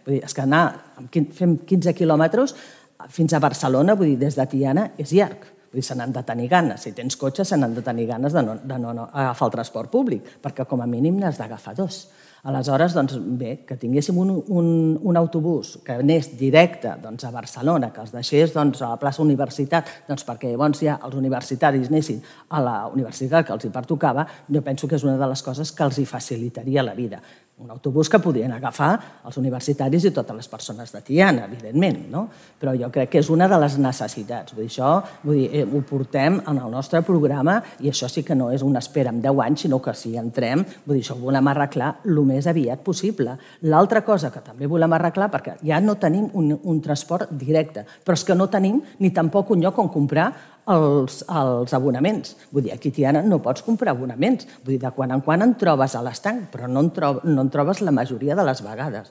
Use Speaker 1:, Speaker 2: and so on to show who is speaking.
Speaker 1: Vull dir, és que fem 15 quilòmetres fins a Barcelona, vull dir, des de Tiana, és llarg. Vull dir, se n'han de tenir ganes. Si tens cotxe, se n'han de tenir ganes de no agafar el transport públic, perquè com a mínim n'has d'agafar dos. Aleshores, doncs, bé, que tinguéssim un autobús que anés directe a Barcelona, que els deixés a la plaça Universitat, perquè llavors ja els universitaris anessin a la universitat que els hi pertocava, jo penso que és una de les coses que els hi facilitaria la vida. Un autobús que podrien agafar els universitaris i totes les persones de Tiana, evidentment, no? Però jo crec que és una de les necessitats. Vull dir, ho portem en el nostre programa i això sí que no és una espera en 10 anys, sinó que si entrem, vull dir, això ho volem arreglar el més aviat possible. L'altra cosa que també volem arreglar, perquè ja no tenim un transport directe, però és que no tenim ni tampoc un lloc on comprar els abonaments. Vull dir, aquí a Tiana no pots comprar abonaments. Vull dir, de quan en quan en trobes a l'estanc, però no en trobes la majoria de les vegades.